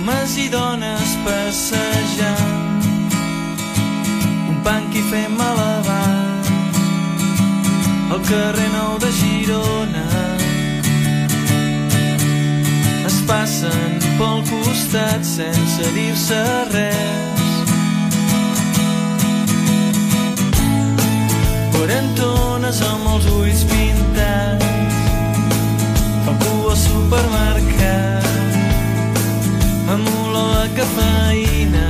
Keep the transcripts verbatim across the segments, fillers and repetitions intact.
homes i dones passejant, un punk i fem malabars al carrer Nou de Girona. Es passen pel costat sense dir-se res, quarantones amb els ulls pintats, algú al supermercat amb olor a cafeïna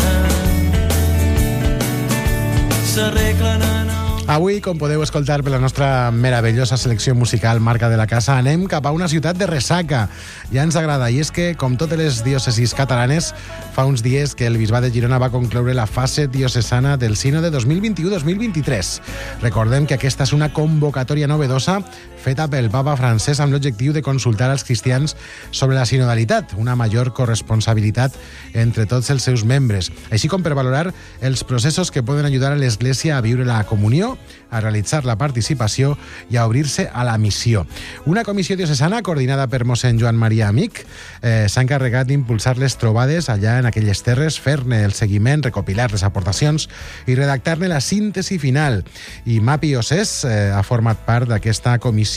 s'arreglen en el... Avui, com podeu escoltar per la nostra meravellosa selecció musical marca de la casa, anem cap a una ciutat de ressaca. Ja ens agrada, i és que, com totes les diòcesis catalanes, fa uns dies que el Bisbat de Girona va concloure la fase diocesana del Sínode dos mil vint-i-u dos mil vint-i-tres. Recordem que aquesta és una convocatòria novedosa feta pel Papa Francesc amb l'objectiu de consultar als cristians sobre la sinodalitat, una major corresponsabilitat entre tots els seus membres, així com per valorar els processos que poden ajudar a l'Església a viure la comunió, a realitzar la participació i a obrir-se a la missió. Una comissió diocesana coordinada per mossèn Joan Maria Amic eh, s'ha encarregat d'impulsar les trobades allà en aquelles terres, fer-ne el seguiment, recopilar les aportacions i redactar-ne la síntesi final. I Mapi Osés eh, ha format part d'aquesta comissió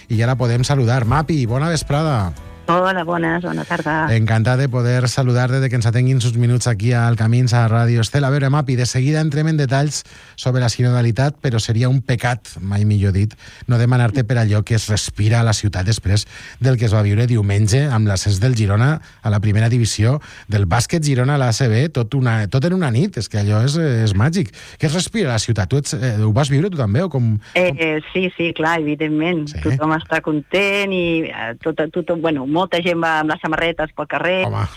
i ja la podem saludar. Mapi, bona vesprada. Hola, bones, bona tarda. Encantat de poder saludar-te, de que ens atenguin uns minuts aquí al Camins a Ràdio Estel. A veure, Mapi, de seguida entrem en detalls sobre la sinodalitat, però seria un pecat, mai millor dit, no demanar-te per allò que es respira a la ciutat després del que es va viure diumenge amb l'ascens del Girona a la primera divisió, del bàsquet Girona a l'A C B, tot, una, tot en una nit, és que allò és, és màgic. Què es respira a la ciutat? Tu ets, eh, ho vas viure tu també? O com, com... Eh, sí, sí, clar, evidentment. Sí. Tothom està content i eh, tot, tot, bueno, molta gent va amb les samarretes pel carrer. Home.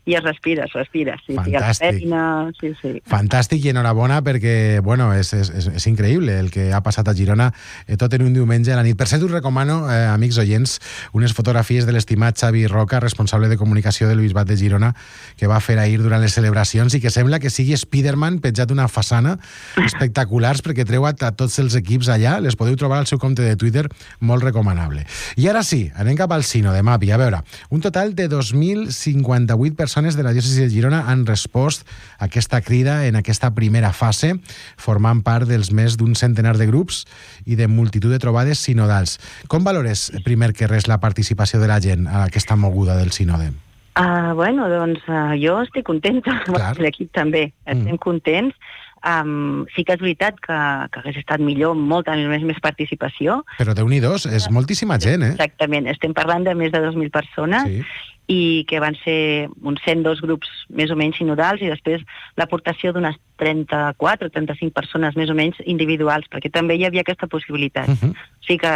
I es respira, es respira. Sí, fantàstic. Sí, feina, sí, sí. Fantàstic i enhorabona perquè, bueno, és, és, és increïble el que ha passat a Girona eh, tot en un diumenge a la nit. Per cert, us recomano, eh, amics oients, unes fotografies de l'estimat Xavi Roca, responsable de comunicació del Bisbat de Girona, que va fer ahir durant les celebracions i que sembla que sigui Spiderman penjat una façana espectaculars perquè treu a, a tots els equips allà. Les podeu trobar al seu compte de Twitter, molt recomanable. I ara sí, anem cap al Sínode, Mapi. A veure, un total de dos mil cinquanta-vuit persones de la diòcesi de Girona han respost a aquesta crida en aquesta primera fase, formant part dels més d'un centenar de grups i de multitud de trobades sinodals. Com valores, primer que res, la participació de la gent a aquesta moguda del sínode? Uh, bueno, doncs uh, jo estic contenta, l'equip també, estem mm. contents. Um, sí que és veritat que, que hagués estat millor molta més, més participació. Però Déu-n'hi-dos, és moltíssima gent, eh? Exactament, estem parlant de més de dos mil persones, sí. I que van ser uns cent dos grups més o menys sinodals i després l'aportació d'unes trenta-quatre o trenta-cinc persones més o menys individuals, perquè també hi havia aquesta possibilitat. Uh-huh. O sigui que,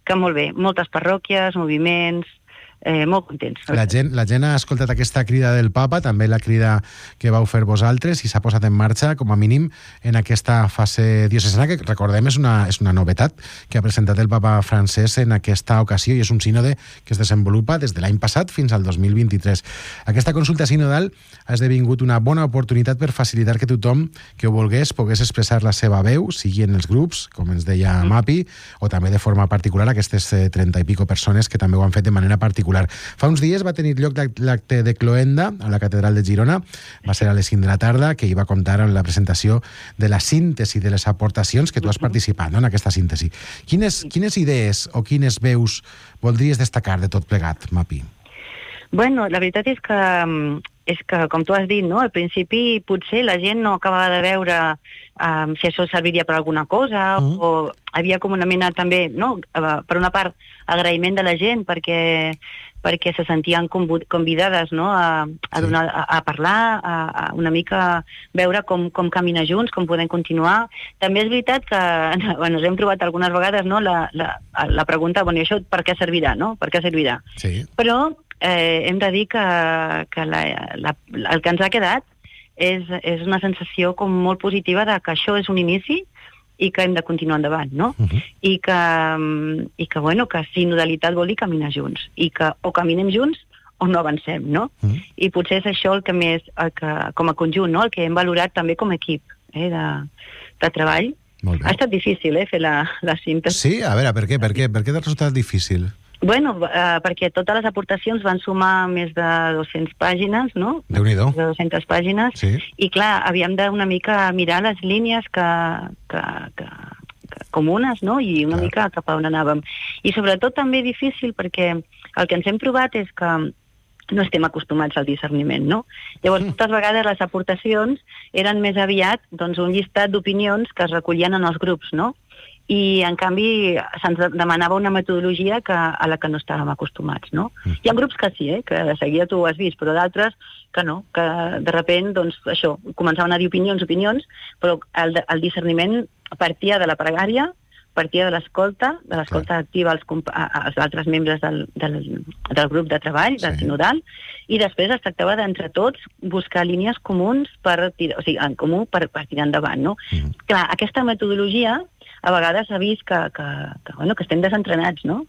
que molt bé, moltes parròquies, moviments... Eh, molt contents. La gent, la gent ha escoltat aquesta crida del Papa, també la crida que vau fer vosaltres, i s'ha posat en marxa, com a mínim, en aquesta fase diocesana, que recordem és una, és una novetat que ha presentat el Papa Francesc en aquesta ocasió, i és un sínode que es desenvolupa des de l'any passat fins al dos mil vint-i-tres. Aquesta consulta sinodal ha esdevingut una bona oportunitat per facilitar que tothom que ho volgués pogués expressar la seva veu, sigui en els grups, com ens deia Mapi, o també de forma particular aquestes trenta i pico persones que també ho han fet de manera particular. Fa uns dies va tenir lloc l'acte de cloenda a la Catedral de Girona, va ser a les cinc de la tarda, que hi va comptar amb la presentació de la síntesi de les aportacions que tu has participat, no?, en aquesta síntesi. Quines, quines idees o quines veus voldries destacar de tot plegat, Mapi? Bueno, la veritat és que, és que com tu has dit, no?, al principi potser la gent no acabava de veure um, si això serviria per alguna cosa, uh-huh. o havia com una mena també, no?, per una part, agraïment de la gent perquè, perquè se sentien convidades, no?, a, a, donar, a, a parlar, a, a una mica veure com, com caminar junts, com podem continuar. També és veritat que bueno, ens hem trobat algunes vegades, no?, la, la, la pregunta, bueno, i això per què servirà, no?, per què servirà? Sí. Però eh, hem de dir que, que la, la, el que ens ha quedat és, és una sensació com molt positiva de que això és un inici i que hem de continuar endavant, no? Uh-huh. I que, i que, bueno, que sinodalitat vol dir caminar junts, i que o caminem junts o no avancem, no? Uh-huh. I potser és això el que més, el que, com a conjunt, no?, el que hem valorat també com a equip, eh, de, de treball. Ha estat difícil, eh, fer la, la síntesi. Sí? A veure, per què? Per què, per què t'ha resultat difícil? Bueno, uh, perquè totes les aportacions van sumar més de dues-centes pàgines, no? Déu-n'hi-do. De dues-centes pàgines. Sí. I clar, havíem d'una mica mirar les línies que, que, que, que comunes, no? I una Clar. mica cap a on anàvem. I sobretot també difícil perquè el que ens hem trobat és que no estem acostumats al discerniment, no? Llavors, moltes vegades les aportacions eren més aviat doncs, un llistat d'opinions que es recollien en els grups, no? I, en canvi, se'ns demanava una metodologia que, a la que no estàvem acostumats, no? Hi ha grups que sí, eh, que de seguida tu ho has vist, però d'altres que no, que de sobte, doncs, això, començaven a dir opinions, opinions, però el, el discerniment partia de la pregària, partia de l'escolta, de l'escolta activa als, als altres membres del, del, del grup de treball, del Sí. sinodal, i després es tractava d'entre tots buscar línies comuns per tirar, o sigui, en comú per, per tirar endavant, no? Mm. Clar, aquesta metodologia a vegades s'ha vist que, que, que, bueno, que estem desentrenats, no?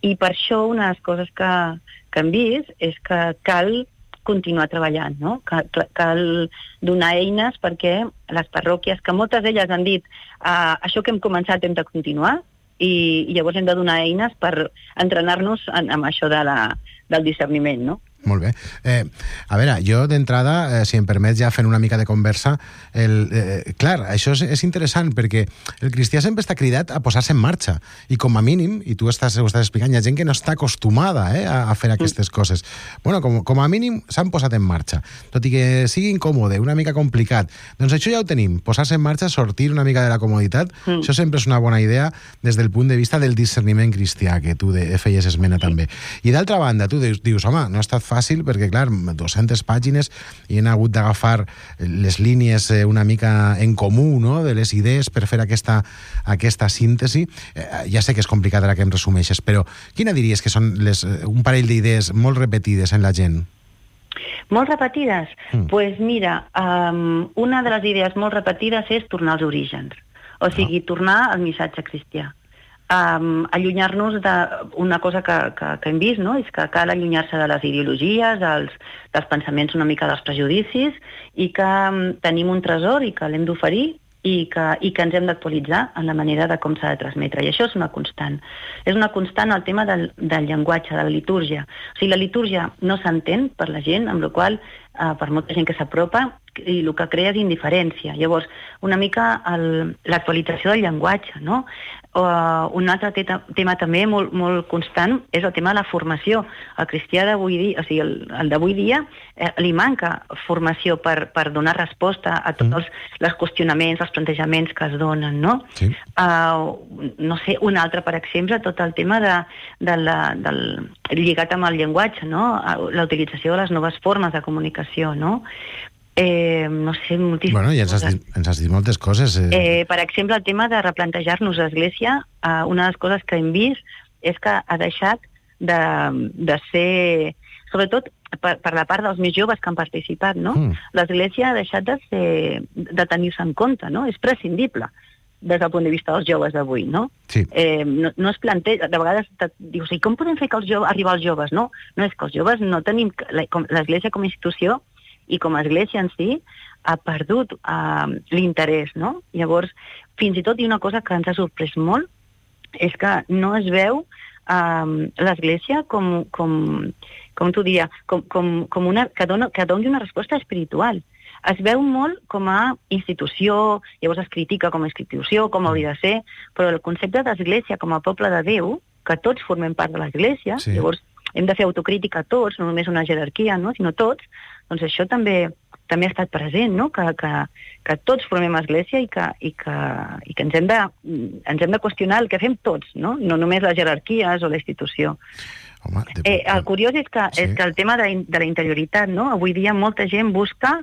I per això una de les coses que, que hem vist és que cal continuar treballant, no? Cal, cal donar eines perquè les parròquies, que moltes d'elles han dit uh, això que hem començat hem de continuar, i, i llavors hem de donar eines per entrenar-nos en, en això de la, del discerniment, no? Molt bé. Eh, a veure, jo d'entrada, eh, si em permets ja fent una mica de conversa, el, eh, clar, això és, és interessant perquè el cristià sempre està cridat a posar-se en marxa i com a mínim, i tu estàs, ho estàs explicant, hi ha gent que no està acostumada eh, a, a fer aquestes coses. Bueno, com, com a mínim s'han posat en marxa, tot i que sigui incòmode, una mica complicat. Doncs això ja ho tenim, posar-se en marxa, sortir una mica de la comoditat, mm. això sempre és una bona idea des del punt de vista del discerniment cristià, que tu de, feies esmena sí. també. I d'altra banda, tu dius, dius home, no ha estat fàcil perquè, clar, dues-centes pàgines i hem hagut d'agafar les línies una mica en comú, no?, de les idees per fer aquesta, aquesta síntesi. Eh, ja sé que és complicat ara que em resumeixes, però quina diries que són les, un parell d'idees molt repetides en la gent? Molt repetides? Doncs Mm. pues mira, um, una de les idees molt repetides és tornar als orígens, o sigui, tornar al missatge cristià. Um, allunyar-nos d'una cosa que, que, que hem vist, no? És que cal allunyar-se de les ideologies, dels, dels pensaments una mica dels prejudicis, i que um, tenim un tresor i que l'hem d'oferir i que, i que ens hem d'actualitzar en la manera de com s'ha de transmetre. I això és una constant. És una constant el tema del, del llenguatge, de la litúrgia. O sigui, la litúrgia no s'entén per la gent, amb la qual cosa, eh, per molta gent que s'apropa, i el que crea és indiferència. Llavors, una mica el, l'actualització del llenguatge, no? O, un altre te- tema també molt, molt constant és el tema de la formació. El cristià d'avui dia, o sigui, el, el d'avui dia, eh, li manca formació per, per donar resposta a tots els, els qüestionaments, els plantejaments que es donen, no? Sí. Uh, no sé, un altre, per exemple, tot el tema de, de la, del, lligat amb el llenguatge, no? La utilització de les noves formes de comunicació, no? Eh, no sé, moltíssimes Bueno, ja ens has, dit, ens has dit moltes coses. Eh. Eh, per exemple, el tema de replantejar-nos l'Església, eh, una de les coses que hem vist és que ha deixat de, de ser, sobretot per, per la part dels més joves que han participat, no? Mm. L'Església ha deixat de, ser, de tenir-se en compte, no? És prescindible des del punt de vista dels joves d'avui, no? Sí. Eh, no, no es planteja, de vegades te, dius, i com podem fer que els joves, arribar als joves? No, no és que els joves no tenim, l'Església com a institució i com a església en si ha perdut uh, l'interès, no? Llavors, fins i tot, i una cosa que ens ha sorprès molt, és que no es veu uh, l'església com, com, com t'ho diria, com, com, com una, que, dona, que doni una resposta espiritual. Es veu molt com a institució, llavors es critica com a institució, com hauria de ser, però el concepte d'església com a poble de Déu, que tots formem part de l'església, Sí. llavors hem de fer autocrítica a tots, no només una jerarquia, no? Sinó tots, doncs això també també ha estat present, no? Que, que, que tots formem església i que, i que, i que ens, hem de, ens hem de qüestionar el que fem tots, no? No només les jerarquies o la institució. Home, de... Eh, el curiós és que, Sí. és que el tema de, de la interioritat, no? Avui dia molta gent busca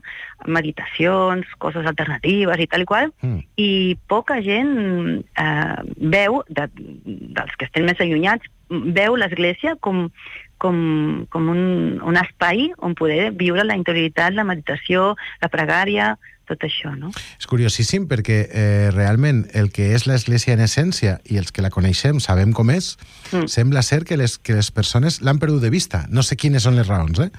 meditacions, coses alternatives i tal i qual, Mm. i poca gent eh, veu, de, dels que estem més allunyats, veu l'església com, com, com un, un espai on poder viure la interioritat, la meditació, la pregària, tot això, no? És curiosíssim perquè eh, realment el que és l'Església en essència i els que la coneixem sabem com és, mm. sembla ser que les, que les persones l'han perdut de vista. No sé quines són les raons, eh?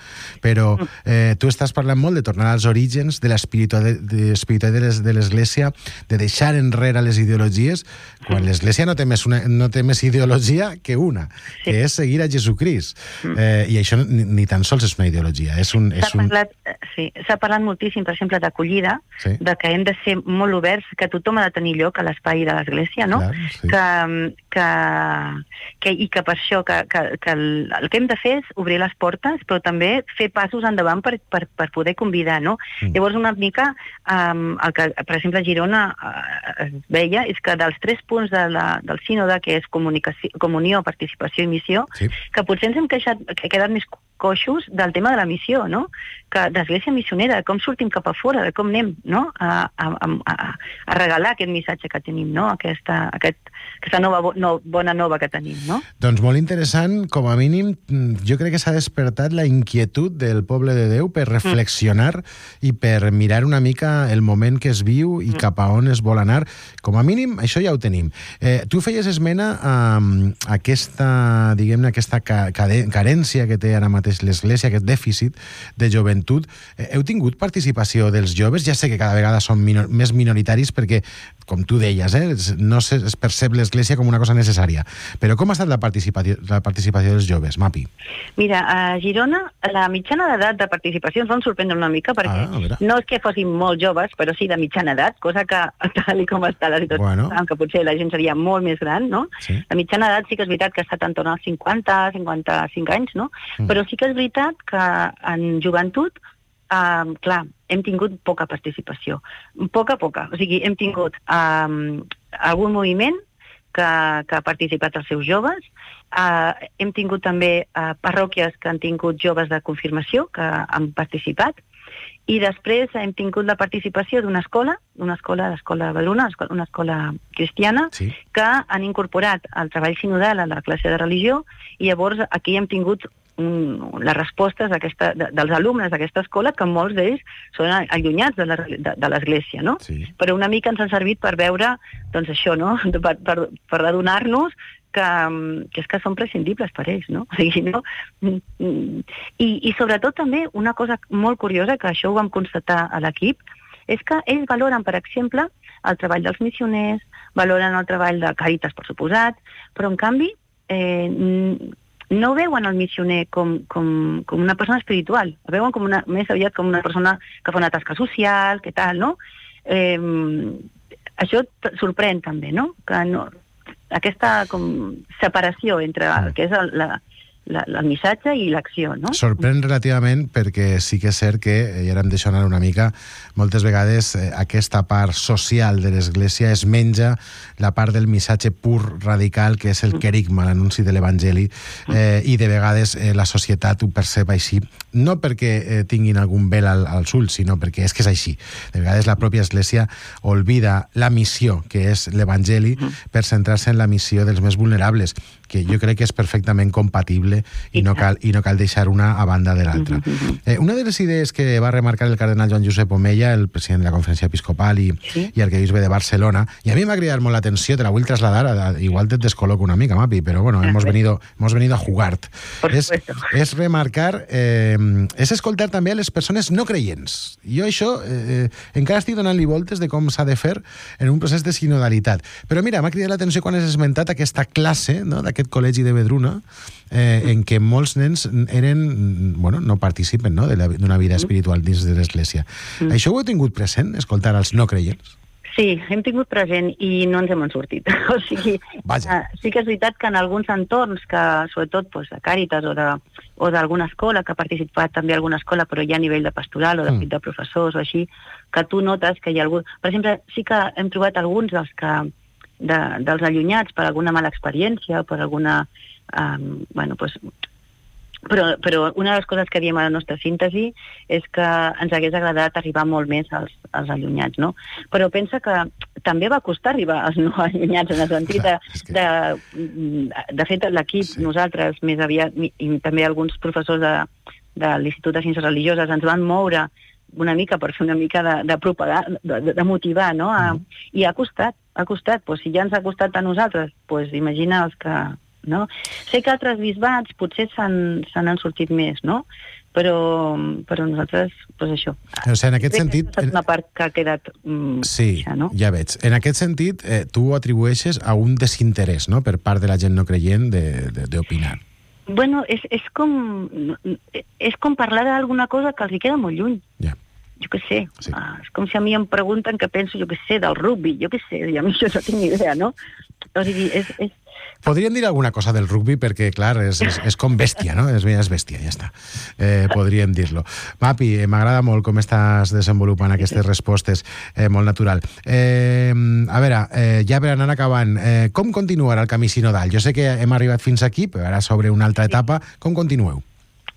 Però eh, tu estàs parlant molt de tornar als orígens de l'espiritualitat de l'Església, de deixar enrere les ideologies, quan l'Església no té més, una, no té més ideologia que una, sí. que és seguir a Jesucrist. Mm. Eh, I això ni, ni tan sols és una ideologia. És un, és s'ha un... parlat, sí, s'ha parlat moltíssim, per exemple, d'acollida, sí. de que hem de ser molt oberts, que tothom ha de tenir lloc a l'espai de l'Església, no? Clar, sí. que, que, que, i que per això que, que, que el, el que hem de fer és obrir les portes, però també fer passos endavant per, per, per poder convidar, no? Mm. Llavors, una mica, um, el que, per exemple, a Girona uh, es veia és que dels tres punts de la, del sínode, que és comunió, participació i missió, sí. que potser ens hem queixat, que quedat més coixos del tema de la missió, no? Que d'església missionera, de com sortim cap a fora, de com anem, no? A, a, a, a regalar aquest missatge que tenim, no? Aquesta, aquest, aquesta nova no, bona nova que tenim, no? Doncs molt interessant, com a mínim, jo crec que s'ha despertat la inquietud del poble de Déu per reflexionar mm. i per mirar una mica el moment que es viu i mm. cap a on es vol anar. Com a mínim, això ja ho tenim. Eh, tu feies esmena a, a aquesta, diguem-ne, aquesta ca carència que té ara mateix l'Església, aquest dèficit de joventut. Eh, heu tingut participació dels joves? Ja sé que cada vegada són minor més minoritaris perquè, com tu deies, eh, no se, es percep l'Església com una cosa necessària. Però com ha estat la participació, la participació dels joves, Mapi? Mira, a Girona la mitjana d'edat de participació ens van sorprendre una mica perquè ah, no és que fossin molt joves, però sí de mitjana edat, cosa que tal com està la situació, bueno. que potser la gent seria molt més gran, no? Sí. La mitjana edat sí que és veritat que ha estat en torn als cinquanta, cinquanta-cinc anys, no? Mm. Però sí que és veritat que en joventut, eh, clar, hem tingut poca participació. Poca, poca. O sigui, hem tingut eh, algun moviment que, que ha participat els seus joves. Eh, hem tingut també eh, parròquies que han tingut joves de confirmació que han participat. I després hem tingut la participació d'una escola, una escola, l'escola de Badruna, una escola cristiana, sí. que han incorporat el treball sinodal a la classe de religió, i llavors aquí hem tingut un, les respostes de, dels alumnes d'aquesta escola, que molts d'ells són allunyats de l'Església, no? Sí. Però una mica ens ha servit per veure, doncs això, no? Per, per, per adonar-nos que, que és que són prescindibles per ells, no? O sigui, no? I, i sobretot també una cosa molt curiosa, que això ho vam constatar a l'equip, és que ells valoren, per exemple, el treball dels missioners, valoren el treball de Càritas, per suposat, però en canvi eh, no veuen el missioner com, com, com una persona espiritual, el veuen com una, més aviat com una persona que fa una tasca social, que tal, no? Eh, això sorprèn també, no? Que no aquesta com separació entre el que és el, la, la, el missatge i l'acció, no? Sorprèn relativament perquè sí que és cert que, i ara em deixo anar una mica, moltes vegades eh, aquesta part social de l'Església es menja la part del missatge pur radical, que és el querigma, l'anunci de l'Evangeli, eh, i de vegades eh, la societat ho percep així, no perquè eh, tinguin algun vel al, als ulls, sinó perquè és que és així. De vegades la pròpia Església oblida la missió, que és l'Evangeli, per centrar-se en la missió dels més vulnerables, que jo crec que és perfectament compatible i no cal, i no cal deixar una a banda de l'altra. Eh, una de les idees que va remarcar el cardenal Joan Josep Omeya, el president de la Conferència Episcopal i, sí. i arquebisbe de Barcelona, i a mi m'ha cridat molt l'atenció, te la vull trasladar, a, igual te descoloco una mica, Mapi, però bueno, hemos venido, hemos venido a jugar. És, és remarcar, eh, és escoltar també a les persones no creients. Jo això eh, encara estic donant-li voltes de com s'ha de fer en un procés de sinodalitat. Però mira, m'ha cridat l'atenció quan has esmentat aquesta classe, no?, d'aquest col·legi de Vedruna, eh, en què molts nens eren, bueno, no participen, no?, d'una vida espiritual dins de l'Església. Mm. Això ho heu tingut present, escoltar als no creients? Sí, hem tingut present i no ens hem sortit. O sigui, uh, sí que és veritat que en alguns entorns, que sobretot pues, de Càritas o de, o d'alguna escola, que ha participat també alguna escola, però ja a nivell de pastoral o de, mm. de professors o així, que tu notes que hi ha algú... Per exemple, sí que hem trobat alguns dels que de, dels allunyats per alguna mala experiència, per alguna... Um, bueno, pues, però, però una de les coses que diem a la nostra síntesi és que ens hagués agradat arribar molt més als, als allunyats, no? Però pensa que també va costar arribar als no allunyats, en el sentit de, de, de fet l'equip, sí. nosaltres més aviat, i també alguns professors de, de l'Institut de Ciències Religioses ens van moure una mica per fer una mica de, de propagar, de, de motivar, no? A, mm. I ha costat, ha costat. Pues, si ja ens ha costat a nosaltres, pues, imagina els que... No? Sé que altres bisbats potser s'han han sortit més, no? Però, però nosaltres, doncs això. O sigui, en aquest Crec sentit... que és una part que ha quedat... Mm, sí, ja, no? ja veig. En aquest sentit, eh, tu ho atribueixes a un desinterès, no?, per part de la gent no creient d'opinar. Bueno, és, és, com, és com parlar d'alguna cosa que els hi queda molt lluny. Ja. Jo què sé. Sí. Ah, és com si a mi em pregunten què penso, jo què sé, del rugby, jo què sé, i a mi això no tinc ni idea, no? O sigui, és... és Podríem dir alguna cosa del rugby perquè, clar, és, és, és com bèstia, no? És, és bèstia, ja està. Eh, podríem dir-lo. Mapi, eh, m'agrada molt com estàs desenvolupant aquestes respostes, eh, molt natural. Eh, a veure, eh, ja per anar acabant, eh, com continuarà el camí sinodal? Jo sé que hem arribat fins aquí, però ara sobre una altra etapa. Com continueu?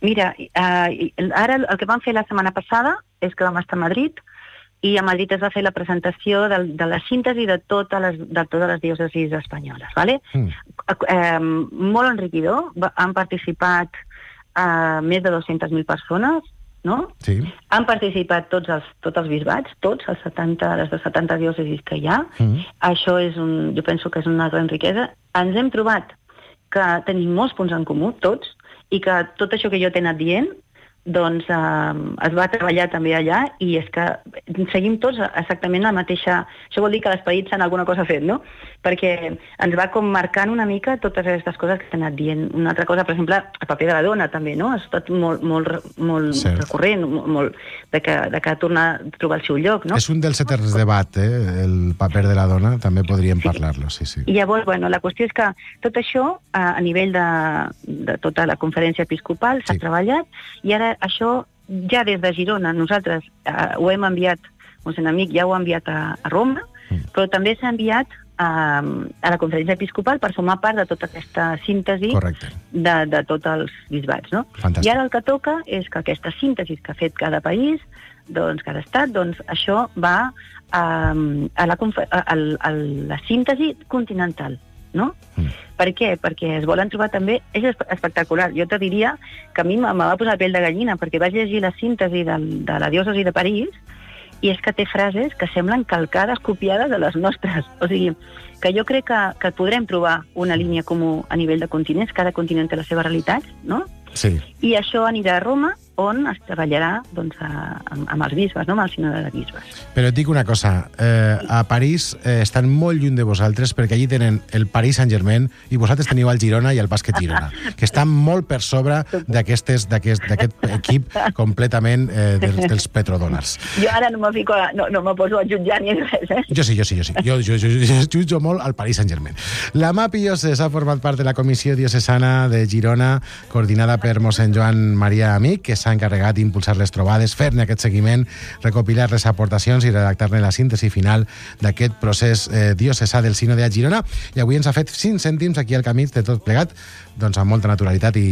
Mira, eh, ara el que vam fer la setmana passada és que vam estar a Madrid, i a Madrid es va fer la presentació de, de la síntesi de totes les, de totes les diòcesis espanyoles. ¿Vale? Mm. Eh, molt enriquidor. Han participat eh, més de dues-centes mil persones, no? Sí. Han participat tots els, tots els bisbats, tots, els setanta, les de setanta diòcesis que hi ha. Mm. Això és un, jo penso que és una gran riquesa. Ens hem trobat que tenim molts punts en comú, tots, i que tot això que jo t'he anat dient, doncs eh, es va treballar també allà i és que seguim tots exactament la mateixa... Això vol dir que l'esperit s'ha alguna cosa fet, no? Perquè ens va com marcant una mica totes aquestes coses que s'han anat dient. Una altra cosa, per exemple, el paper de la dona també, no? Ha estat molt, molt, molt recurrent, molt, de que, de que torna a trobar el seu lloc, no? És un dels eterns debat, eh? El paper de la dona, també podríem sí. parlar-lo, sí, sí. I llavors, bueno, la qüestió és que tot això, a, a nivell de, de tota la conferència episcopal, s'ha sí. treballat, i ara això ja des de Girona nosaltres eh, ho hem enviat, un amic ja ho ha enviat a, a Roma, mm. però també s'ha enviat a, a la conferència episcopal per formar part de tota aquesta síntesi de, de tots els bisbats, no? Fantàstic. I ara el que toca és que aquesta síntesi que ha fet cada país, doncs cada estat, doncs això va a, a, la, a, a, a la síntesi continental, no? Mm. Per què? Perquè es volen trobar també... És espectacular. Jo te diria que a mi me va posar pell de gallina perquè vaig llegir la síntesi de, de la diòcesi de París i és que té frases que semblen calcades, copiades de les nostres. O sigui, que jo crec que, que podrem trobar una línia comú a nivell de continents. Cada continent té la seva realitat, no? Sí. I això anirà a Roma, on es treballarà doncs, a, amb, amb els bisbes, no? Amb el sínode de bisbes. Però et dic una cosa, eh, a París eh, estan molt lluny de vosaltres perquè allí tenen el Paris Saint-Germain i vosaltres teniu el Girona i el Bàsquet Girona, que estan molt per sobre d'aquest equip completament eh, dels, dels petrodòlars. Jo ara no me fico, a, no, no me poso a jutjar ni res, eh? Jo sí, jo sí, jo sí. Jo, jo, jo, jo jutjo molt al Paris Saint-Germain. La Mapi Lloses ha format part de la Comissió Diocesana de Girona, coordinada per mossèn Joan Maria Amic, que s'ha encarregat d'impulsar les trobades, fer-ne aquest seguiment, recopilar les aportacions i redactar-ne la síntesi final d'aquest procés eh, diocesà del sínode a Girona. I avui ens ha fet cinc cèntims aquí al camí de tot plegat, doncs amb molta naturalitat i,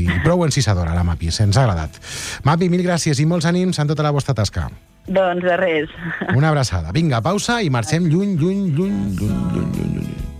i prou encisadora, la Mapi. Se'ns ha agradat. Mapi, mil gràcies i molts ànims en tota la vostra tasca. Doncs de res. Una abraçada. Vinga, pausa i marxem lluny, lluny, lluny, lluny, lluny, lluny.